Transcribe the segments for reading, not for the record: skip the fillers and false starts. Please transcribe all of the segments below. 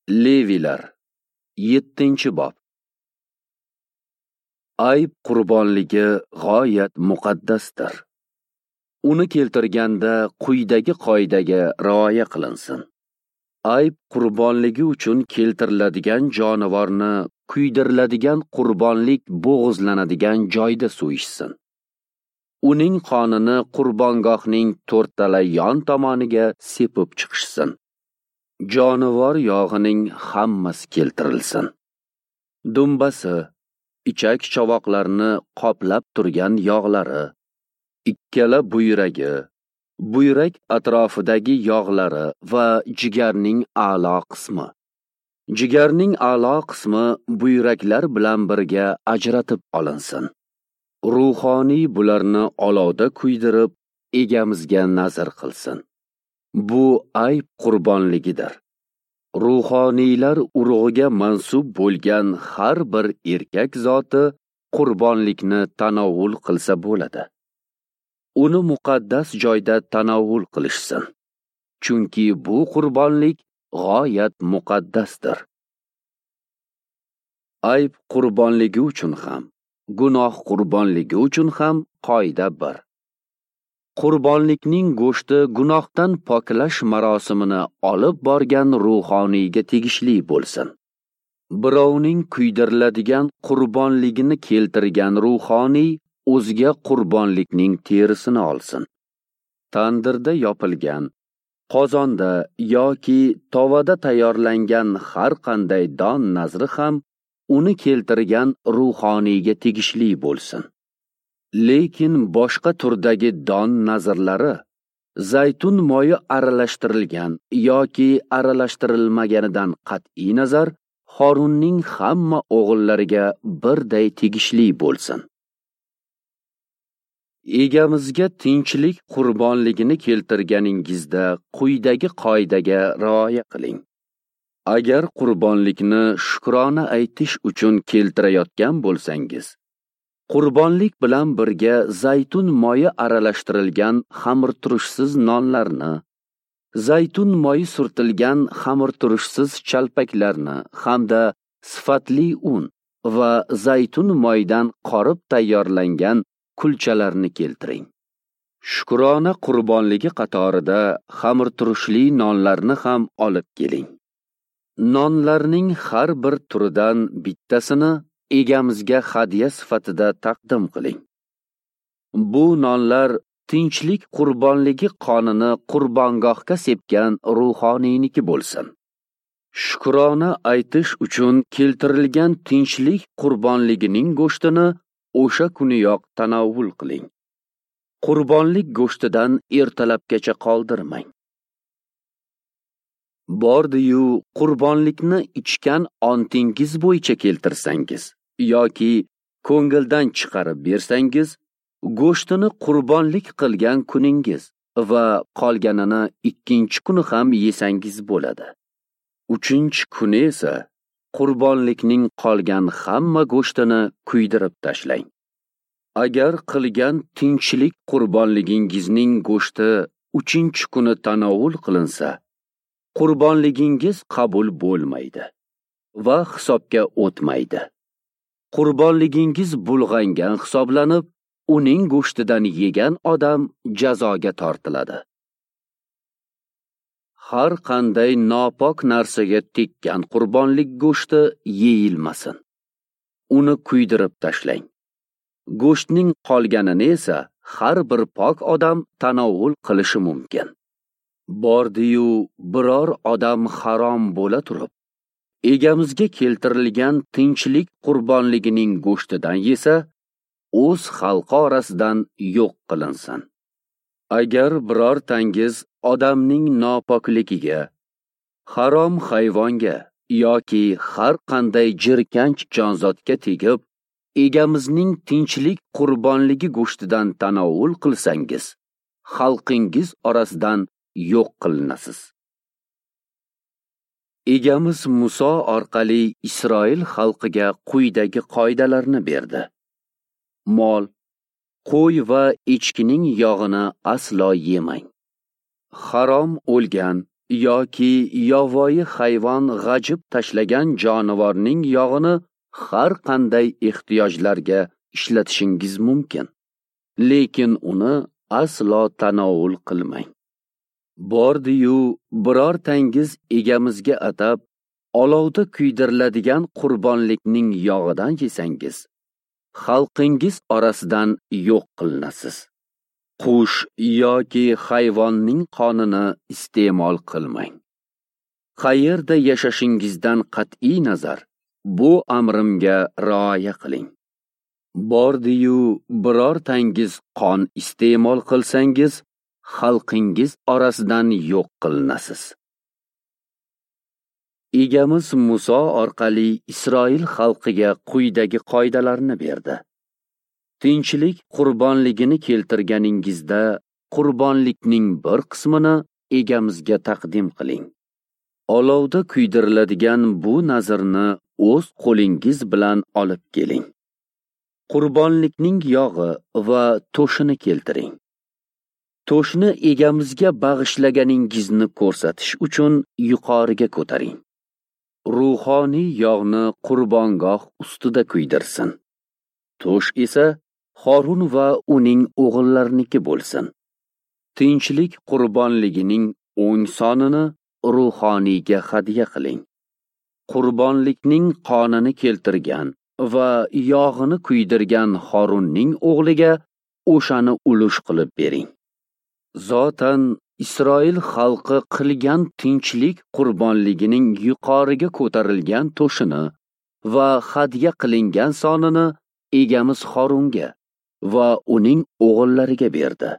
Levilar 7-bob. Ayb qurbonligi g'oyat muqaddasdir. Uni keltirganda quyidagi qoidaga rioya qilinsin. Ayb qurbonligi uchun keltiriladigan jonivorni kuydiriladigan qurbonlik bo'g'izlanadigan joyda so'yishsin. Uning qonini qurbongohning to'rttala yon tomoniga sepib chiqishsin. Jonivor yog'ining hammasi keltirilsin. Dumbasi, ichak chovoqlarni qoplab turgan yog'lari, ikkala buyragi, buyrak atrofidagi yog'lari va jigarning a'lo qismi. Jigarning a'lo qismi buyraklar bilan birga ajratib olinsin. Ruhoniy bularni olovda kuydirib, egamizga nazr qilsin. Bu ayb qurbonligidir. Ruhoniylar urug'iga mansub bo'lgan har bir erkak zoti qurbonlikni tanovul qilsa bo'ladi. Uni muqaddas joyda tanovul qilishsin. Chunki bu qurbonlik g'oyat muqaddasdir. Ayb qurbonligi uchun ham, gunoh qurbonligi uchun ham qoida bir. Qurbonlikning go'shti gunohdan poklash marosimini olib borgan ruhoniyga tegishli bo'lsin. Birovning kuydiriladigan qurbonligini keltirgan ruhoniy o'ziga qurbonlikning terisini olsin. Tandirda yopilgan, qozonda yoki tovada tayyorlangan har qanday don nazri ham uni keltirgan ruhoniyga tegishli bo'lsin. Lekin boshqa turdagi don nazrlari zaytun moyi aralashtirilgan yoki aralashtirilmaganidan qat'iy nazar Horunning hamma o'g'illariga birday tegishli bo'lsin. Egamizga tinchlik qurbonligini keltirganingizda quyidagi qoidaga rioya qiling. Agar qurbonlikni shukrona aytish uchun keltirayotgan bo'lsangiz, qurbonlik bilan birga zaytun moyi aralashtirilgan xamirturushsiz nonlarni, zaytun moyi surtilgan xamirturushsiz chalpaklarni hamda sifatli un va zaytun moyidan qorib tayyorlangan kulchalarni keltiring. Shukrona qurbonligi qatorida xamirturushli nonlarni ham olib keling. Nonlarning har bir turidan bittasini egamizga hadya sifatida taqdim qiling. Bu nonlar tinchlik qurbonligi qonini qurbongohga sepgan ruhoniyniki bo'lsin. Shukrona aytish uchun keltirilgan tinchlik qurbonligining go'shtini o'sha kuniyoq tanovul qiling. Qurbonlik go'shtidan ertalabgacha qoldirmang. Bordi-yu qurbonlikni ichgan ontingiz bo'yicha keltirsangiz yoki ko'ngildan chiqarib bersangiz, go'shtini qurbonlik qilgan kuningiz va qolganini ikkinchi kuni ham yesangiz bo'ladi. Uchinchi kuni esa qurbonlikning qolgan hamma go'shtini kuydirib tashlang. Agar qilgan tinchlik qurbonligingizning go'shti uchinchi kuni tanovul qilinsa, qurbonligingiz qabul bo'lmaydi va hisobga o'tmaydi. Qurbonligingiz bulg'angan hisoblanib, uning go'shtidan yegan odam jazoga tortiladi. Har qanday nopok narsaga tekkan qurbonlik go'shti yeyilmasin. Uni kuydirib tashlang. Go'shtning qolganini esa har bir pok odam tanovul qilishi mumkin. Bordi-yu biror odam harom bo'la turib, egamizga keltirilgan tinchlik qurbonligining go'shtidan yesa, o'z xalqi orasidan yo'q qilinsin. Agar birortangiz odamning nopokligiga, harom hayvonga yoki har qanday jirkanch jonzotga tegib, egamizning tinchlik qurbonligi go'shtidan tanovul qilsangiz, xalqingiz orasidan yo'q qilinasiz. Egamiz Muso orqali Isroil xalqiga quyidagi qoidalarni berdi. Mol, qo'y va echkining yog'ini aslo yemang. Harom o'lgan yoki yovvoyi hayvon g'ajib tashlagan jonivorning yog'ini har qanday ehtiyojlarga ishlatishingiz mumkin, lekin uni aslo tanovul qilmang. Bordi-yu birortangiz egamizga atab olovda kuydiriladigan qurbonlikning yog'idan yesangiz, xalqingiz orasidan yo'q qilinasiz. Qush yoki hayvonning qonini iste'mol qilmang. Qayerda yashashingizdan qat'iy nazar bu amrimga rioya qiling. Bordi-yu birortangiz qon iste'mol qilsangiz, xalqingiz orasidan yo'q qilinasiz. Egamiz Muso orqali Isroil xalqiga quyidagi qoidalarni berdi. Tinchlik qurbonligini keltirganingizda qurbonlikning bir qismini egamizga taqdim qiling. Olovda kuydiriladigan bu nazrni o'z qo'lingiz bilan olib keling. Qurbonlikning yog'i va to'shini keltiring. To'shni egamizga bag'ishlaganingizni ko'rsatish uchun yuqoriga ko'taring. Ruhoniy yog'ni qurbongoh ustida kuydirsin. To'sh esa Horun va uning o'g'illarniki bo'lsin. Tinchlik qurbonligining o'ng sonini ruhoniyga hadya qiling. Qurbonlikning qonini keltirgan va yog'ini kuydirgan Horunning o'g'liga o'shani ulush qilib bering. Zotan Isroil xalqi qilgan tinchlik qurbonligining yuqoriga ko'tarilgan to'shini va hadya qilingan sonini egamiz Horunga va uning o'g'illariga berdi.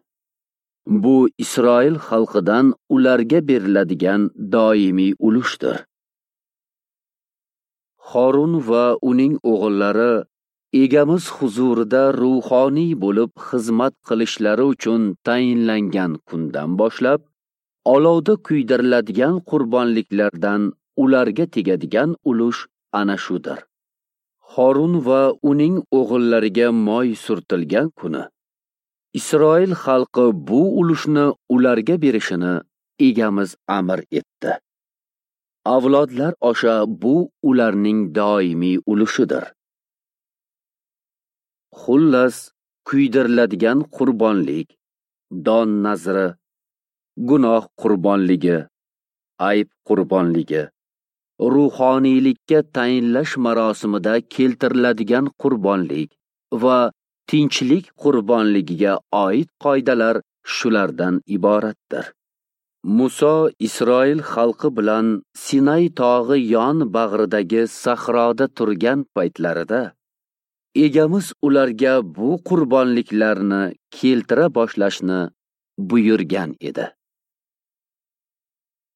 Bu Isroil xalqidan ularga beriladigan doimiy ulushdir. Horun va uning o'g'illari egamiz huzurida ruhoniy bo'lib xizmat qilishlari uchun tayinlangan kundan boshlab olovda kuydiriladigan qurbonliklardan ularga tegadigan ulush ana shudir. Horun va uning o'g'illariga moy surtilgan kuni Isroil xalqi bu ulushni ularga berishini egamiz amr etdi. Avlodlar osha bu ularning doimiy ulushidir. Xullas, kuydiriladigan qurbonlik, don nazri, gunoh qurbonligi, ayb qurbonligi, ruhoniylikka tayinlash marosimida keltiriladigan qurbonlik va tinchlik qurbonligiga oid qoidalar shulardan iboratdir. Muso Isroil xalqi bilan Sinay tog'i yon bag'ridagi sahroda turgan paytlarida egamiz ularga bu qurbonliklarni keltira boshlashni buyurgan edi.